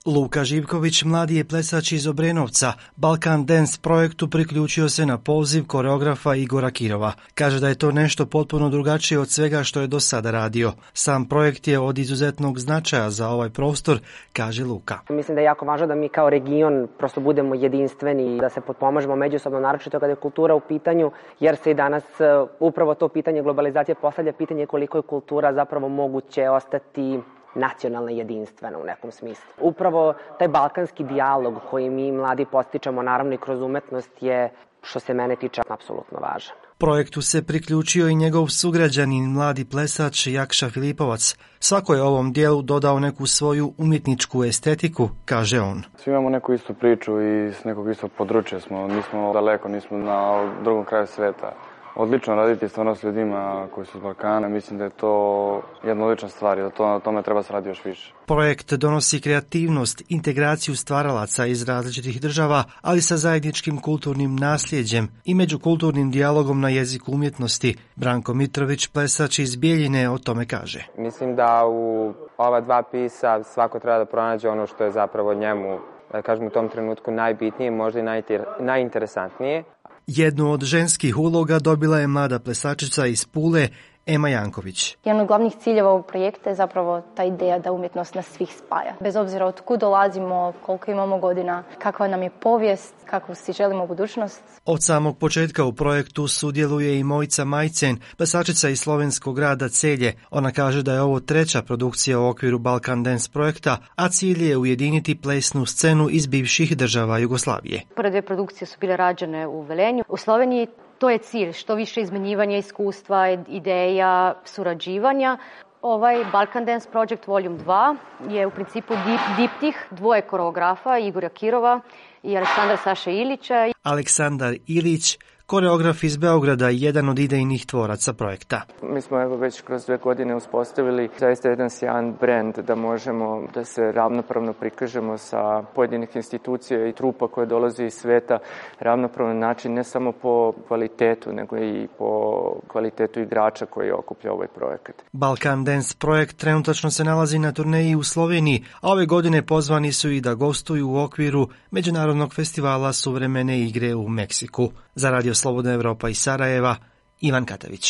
Luka Živković, mladi je plesač iz Obrenovca, Balkan Dance projektu priključio se na poziv koreografa Igora Kirova. Kaže da je to nešto potpuno drugačije od svega što je do sada radio. Sam projekt je od izuzetnog značaja za ovaj prostor, kaže Luka. Mislim da je jako važno da mi kao region prosto budemo jedinstveni, da se potpomažemo međusobno, naročito kada je kultura u pitanju, jer se i danas upravo to pitanje globalizacije postavlja pitanje koliko je kultura zapravo moguće ostati nacionalna i jedinstvena u nekom smislu. Upravo taj balkanski dijalog koji mi mladi postičemo, naravno i kroz umetnost, je, što se mene tiče, apsolutno važan. Projektu se priključio i njegov sugrađanin, mladi plesač Jakša Filipovac. Svako je ovom dijelu dodao neku svoju umjetničku estetiku, kaže on. Svi imamo neku istu priču i s nekog istog područja smo. Nismo daleko, nismo na drugom kraju sveta. Odlično raditi stvarno s ljudima koji su iz Balkana. Mislim da je to jedna odlična stvar i da na tome treba se raditi još više. Projekt donosi kreativnost, integraciju stvaralaca iz različitih država, ali sa zajedničkim kulturnim nasljeđem i međukulturnim dijalogom na jeziku umjetnosti. Branko Mitrović, plesač iz Bijeljine, o tome kaže. Mislim da u ova dva pisa svako treba da pronađe ono što je zapravo njemu, da kažem, u tom trenutku najbitnije, možda i najinteresantnije. Jednu od ženskih uloga dobila je mlada plesačica iz Pule, Ema Janković. Jedan od glavnih ciljeva ovog projekta je zapravo ta ideja da umjetnost nas svih spaja. Bez obzira od kud dolazimo, koliko imamo godina, kakva nam je povijest, kakvu si želimo budućnost. Od samog početka u projektu sudjeluje i Mojica Majcen, plesačica iz slovenskog grada Celje. Ona kaže da je ovo treća produkcija u okviru Balkan Dance projekta, a cilj je ujediniti plesnu scenu iz bivših država Jugoslavije. Prve dvije produkcije su bile rađene u Velenju. U Sloveniji to je cilj, što više izmenjivanja iskustva, ideja, surađivanja. Ovaj Balkan Dance Project Volume 2 je u principu diptih dvoje koreografa, Igora Kirova i Aleksandra Saše Ilića. Aleksandar Ilić, koreograf iz Beograda, jedan od idejnih tvoraca projekta. Mi smo već kroz 2 godine uspostavili zaista jedan sjajan brend da možemo da se ravnopravno prikažemo sa pojedinih institucija i trupa koje dolaze iz sveta, ravnopravan način ne samo po kvalitetu, nego i po kvalitetu igrača koji okuplja ovaj projekat. Balkan Dance projekt trenutačno se nalazi na turneji u Sloveniji, a ove godine pozvani su i da gostuju u okviru Međunarodnog festivala suvremene igre u Meksiku. Za Radio Slobodna Evropa iz Sarajeva, Ivan Katavić.